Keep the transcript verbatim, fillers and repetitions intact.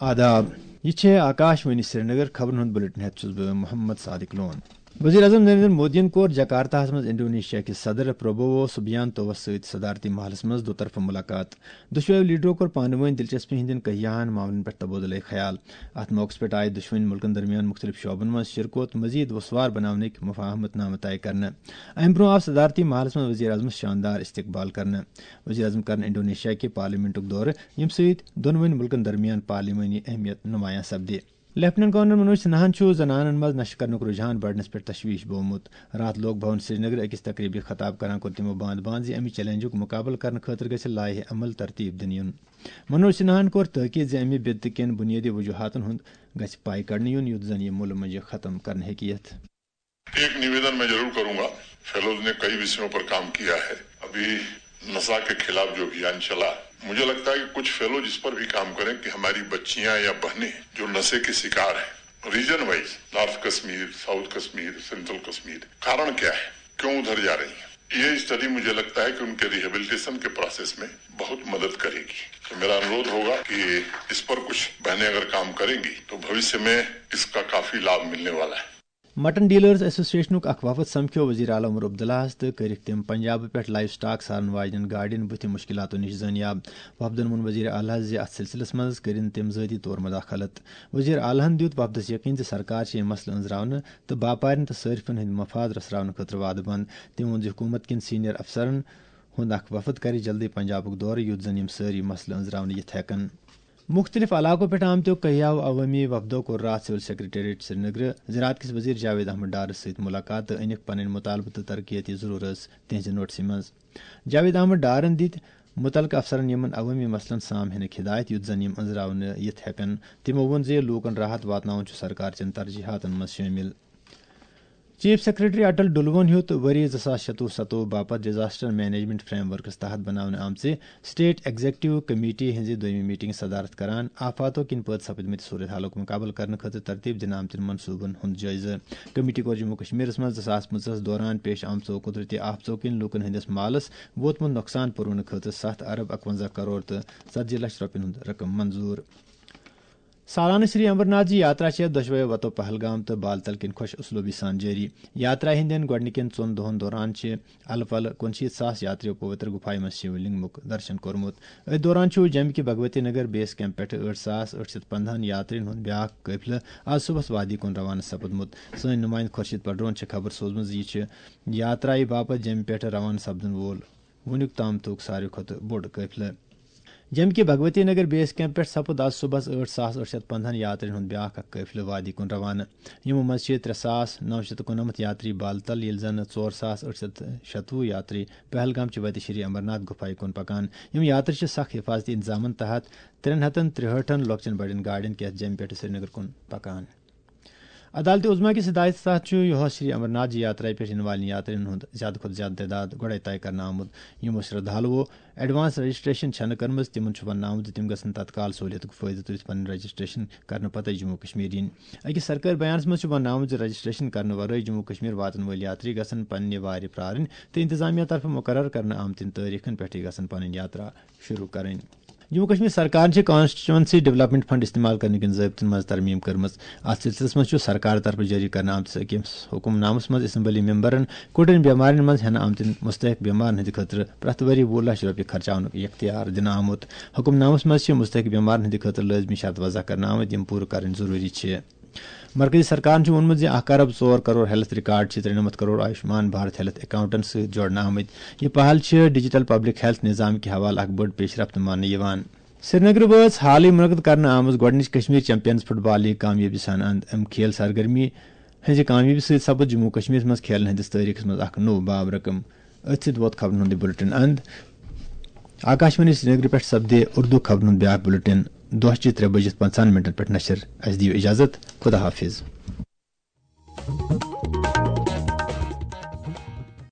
آداب، یہِ چھےٚ آکاش وانی سرینگر۔ خبرن ہُنٛد بلیٹن ہٮ۪تھ چھُس بہٕ محمد صادق لون۔ وزیر اعظم نریندر مودیَن کوٚر جکارتاہَس منٛز انڈونیشیا کِس صدر پربوو سبیانتوَس سۭتۍ صدارتی محلَس منٛز دُطرفہٕ مُلاقات۔ دۄشوٕیو لیڈرو کوٚر پانہٕ وٲنۍ دلچسپی ہٕنٛدٮ۪ن کیاہَن معاملَن پٮ۪ٹھ تبادلہٕ خیال۔ اَتھ موقعَس پٮ۪ٹھ آیہِ دۄشوٕنی مُلکَن درمیان مُختٔلِف شعبَن منٛز شِرکوت مٔزیٖد وُسوار بناونٕکۍ مفاہمت نامہٕ طے کرنہٕ۔ اَمہِ برٛونٛہہ آو صدارتی محلَس منٛز وزیر اعظمَس شاندار استقبال کرنہٕ۔ وزیر اعظم کرن انڈونیشیا کہِ پارلیمنٹُک دورٕ، ییٚمہِ سۭتۍ دۄنوٕنی مُلکَن درمیان پارلیمانی اہمیت نمایاں سپدِ۔ لیفٹیننٹ گورنر منوج سنہاہن چھُ زنانن منٛز نشہٕ کرنُک رجحان بڑنس پٮ۪ٹھ تشویش بوومُت۔ راتھ لوک بھون سرینگر أکِس تقریبہِ خطاب کران کوٚر تِمو باند باند زِ امہِ چیلنجُک مقابلہٕ کرنہٕ خٲطرٕ گژھِ لایحہ عمل ترتیب دِنہٕ یُن۔ منوج سنہاہن کوٚر تاکید زِ امہِ بدعت کٮ۪ن بنیٲدی وجوہاتن ہُنٛد گژھِ پاے کڑنہٕ یُن، یُتھ زن یہِ مُلہٕ مۄنجہِ ختم کرنہٕ ہیٚکہِ یِتھ۔ ایک نویدن میں ضرور کروں گا، فیلوز نے کئی وشیوں پر کام کیا ہے۔ ابھی نشہ کے خلاف جو ابھیان چلا، مجھے لگتا ہے کہ کچھ فیلو جس پر بھی کام کریں کہ ہماری بچیاں یا بہنیں جو نشے کے شکار ہیں، region wise, north Kashmir, south Kashmir, central Kashmir, کارن کیا ہے، کیوں ادھر جا رہی ہیں، یہ اسٹڈی مجھے لگتا ہے کہ ان کے ریہیبلیٹیشن کے پروسیس میں بہت مدد کرے گی۔ تو میرا انوروھ ہوگا کہ اس پر کچھ بہنیں اگر کام کریں گی تو بھوشیہ میں اس کا کافی لابھ ملنے والا ہے۔ مٹن ڈیلرز ایسوسیشنُک اکھ وفد سمکھیو وزیر اعلیٰ عمر عبداللہس تہٕ کٔرِکھ تِم پنجابہٕ پٮ۪ٹھ لائیو سٹاک سارن واجنٮ۪ن گاڑٮ۪ن بُتھِ مُشکِلاتو نِش زٲنیاب۔ وفدن ووٚن وزیر اعلیٰ زِ اتھ سلسلس منٛز کٔرِن تِم ذٲتی طور مداخلت۔ وزیر اعلیٰ ہن دیُت وفدس یقین زِ سرکار چھِ یِم مسلہٕ أنٛزراونہٕ تہٕ باپارٮ۪ن تہٕ صٲرفن ہٕنٛدۍ مفاد رژھراونہٕ خٲطرٕ وعدٕ بنٛد۔ تٔمۍ ووٚن زِ حکوٗمت کٮ۪ن سینئر افسرن ہُنٛد اکھ وفد کرِ جلدی پنجابُک دورٕ، یُتھ زن یِم سٲری مسلہٕ أنٛزراونہٕ یِتھ ہٮ۪کن۔ مُختٔلِف علاقو پٮ۪ٹھ آمتیو کیاہو عوٲمی وفدو کوٚر راتھ سول سیکرٹریٹ سرینگرٕ زراعت کِس وزیر جاوید احمد ڈارس سۭتۍ مُلاقات تہٕ أنِکھ پنٕنۍ مُطالبہٕ تہٕ ترقیتی ضروٗرت تِہنٛزِ نوٹسہِ منٛز۔ جاوید احمد ڈارن دِتۍ مُتعلقہٕ افسرن یِمن عوٲمی مسلن سام ہینٕکۍ ہدایت، یُتھ زن یِم أنٛزراونہٕ یِتھ ہٮ۪کن۔ تِمو ووٚن زِ لوٗکن راحت واتناوُن چھُ سرکار چٮ۪ن ترجیحاتن منٛز شٲمِل۔ چیف سیکرٹری اٹل ڈلوَن ہیوٚت ؤری زٕ ساس شَتوُہ ستوُہ باپتھ ڈیزاسٹر مینجمنٹ فریم ورکس تحت بناونہٕ آمژِ اسٹیٹ ایگزیکٹو کمیٹی ہٕنٛزِ دوٚیمہِ میٹنگ صدارت کران آفاتو کِنۍ پٲدٕ سپدمٕتہِ صورت حالُک مُقابلہٕ کرنہٕ خٲطرٕ ترتیب دِنہٕ آمتٮ۪ن منصوٗبن ہُنٛد جٲیزٕ۔ کمیٹی کوٚر جموں کشمیرس منٛز زٕ ساس پٕنٛژٕہس دوران پیش آمژو قدرتی آفتو کِنۍ لوٗکن ہٕنٛدِس مالس ووتمُت نۄقصان پوٗرونہٕ خٲطرٕ ستھ ارب اکونزہ کرور تہٕ ژتجی لچھ رۄپین ہُنٛد رقم منظوٗر۔ سالانہٕ شری امرناتھ جی یاترا چھےٚ دۄشوے وتو پہلگام تہٕ بالتل کِنۍ خۄش اسلوبی سان جٲری۔ یاترا ہٕنٛدٮ۪ن گۄڈٕنِکٮ۪ن ژۄن دۄہن دوران چھِ الہٕ پلہٕ کُنشیٖتھ ساس یاترِیو پویتر گُفایہِ منٛز شیو لنگمُک درشن کوٚرمُت۔ أتھۍ دوران چھُ جمہِ کہِ بھگوتی نگر بیس کیمپ پٮ۪ٹھٕ ٲٹھ ساس ٲٹھ شیٚتھ پندہن یاترین ہُنٛد بیاکھ قٲفلہٕ آز صبحس وادی کُن روانہٕ سپُدمُت۔ سٲنۍ نُمایندٕ خورشید پڈرون چھِ خبر سوزمٕژ زِ یہِ چھِ یاترایہِ باپتھ جمہِ پٮ۪ٹھٕ روانہٕ سپدن وول وُنیُک تام تُک ساروی کھۄتہٕ بوٚڑ قٲفلہٕ۔ جمہِ کہِ بھگوتی نگر بیس کیمپ پٮ۪ٹھ سپُد آز صبحس ٲٹھ ساس ٲٹھ شیٚتھ پندہن یاترین ہُنٛد بیاکھ اکھ قٲفلہٕ وادی کُن روانہٕ۔ یِمو منٛز چھِ ترٛےٚ ساس نو شیٚتھ تہٕ کُننمتھ یاتری بالتل، ییٚلہِ زن ژور ساس ٲٹھ شیٚتھ شَتوُہ یاتری پہلگام چہِ وتہِ شری امرناتھ گُفایہِ کُن پکان۔ یِم یاتری چھِ سخ حفاظتی انتظامن تحت ترٛٮ۪ن ہتن ترٛہٲٹھن لۄکچٮ۪ن بڑٮ۪ن گاڑٮ۪ن کیتھ جمہِ پٮ۪ٹھٕ سرینگر کُن پکان۔ عدالت عظمیٰ کِس ہدایتس تحت چھُ یُہس شری امرناتھ جی یاترا پٮ۪ٹھ یِنہٕ والٮ۪ن یاترین ہُنٛد زیادٕ کھۄتہٕ زیادٕ تعداد گۄڈے طے کرنہٕ آمُت۔ یِمو شردھالوو ایڈوانس رجسٹریشن چھنہٕ کٔرمٕژ، تِمن چھُ وننہٕ آمُت زِ تِم گژھن تتکال سہولیتُک فٲیدٕ تُلِتھ پنٕنۍ رجسٹریشن کرنہٕ پتہٕ جموں کشمیر یِنۍ۔ أکِس سرکٲرۍ بیانس منٛز چھُ وننہٕ آمُت زِ رجسٹریشن کرنہٕ ورٲے جموں کشمیر واتن وٲلۍ یاتری گژھن پننہِ وارِ پرارٕنۍ تہٕ انتظامیہ طرفہٕ مقرر کرنہٕ آمتٮ۪ن تٲریخن پٮ۪ٹھٕے گژھن پنٕنۍ یاترا شروع کرٕنۍ۔ جموں کشمیر سرکارن چھِ کانسٹیچوئنسی ڈیولپمنٹ فنڈ استعمال کرنہٕ کِنۍ ضٲبطن منٛز ترمیم کٔرمٕژ۔ اتھ سلسلس منٛز چھُ سرکار طرفہٕ جٲری کرنہٕ آمتِس أکِس حکم نامس منٛز اسمبلی ممبرن کُٹھٮ۪ن بیمارٮ۪ن منٛز ہٮ۪نہٕ آمتٮ۪ن مستحق بیمارن ہٕنٛدِ خٲطرٕ پرٛٮ۪تھ ؤری وُہ لچھ رۄپیہِ خرچاونُک اختیار دِنہٕ آمُت۔ حکم نامس منٛز چھِ مستحق بیمارن ہٕنٛدِ خٲطرٕ لٲزمی شرط وضع کرنہٕ آمٕتۍ، یِم پوٗرٕ کرٕنۍ ضروٗری چھِ۔ مرکزی سرکارن چھُ ووٚنمُت زِ اکھ ارب ژور کرور ہیلتھ ریکارڈ چھِ ترٛےٚ نمتھ کرور آیوشمان بھارت ہیلتھ اکاؤنٹن سۭتۍ جوڑنہٕ آمٕتۍ۔ یہِ پہل چھِ ڈیجیٹل پبلک ہیلتھ نظام کہِ حوالہٕ اکھ بٔڑ پیشرفت ماننہٕ یِوان۔ سرینگرٕ وٲژ حالٕے منعقد کرنہٕ آمٕژ گۄڈٕنِچ کشمیر چیمپینز فٹ بال لیگ کامیٲبی سان اند۔ امہِ کھیل سرگرمی ہٕنٛزِ کامیٲبی سۭتۍ سپُد جموں کشمیرس منٛز کھیلن ہٕنٛدِس تٲریخس منٛز اکھ نوٚو باب رقم۔ أتھۍ سۭتۍ ووت خبرن ہُنٛد یہِ بُلٹن اند۔ آکاشوانی سرینگرٕ پٮ۪ٹھ سپدِ اردو خبرن ہُنٛد بیاکھ بُلٹن دۄہ چہِ ترٛےٚ بجِتھ پنٛژاہن منٹن پٮ۪ٹھ نشر۔ اسہِ دِیِو اجازت۔ خدا حافظ۔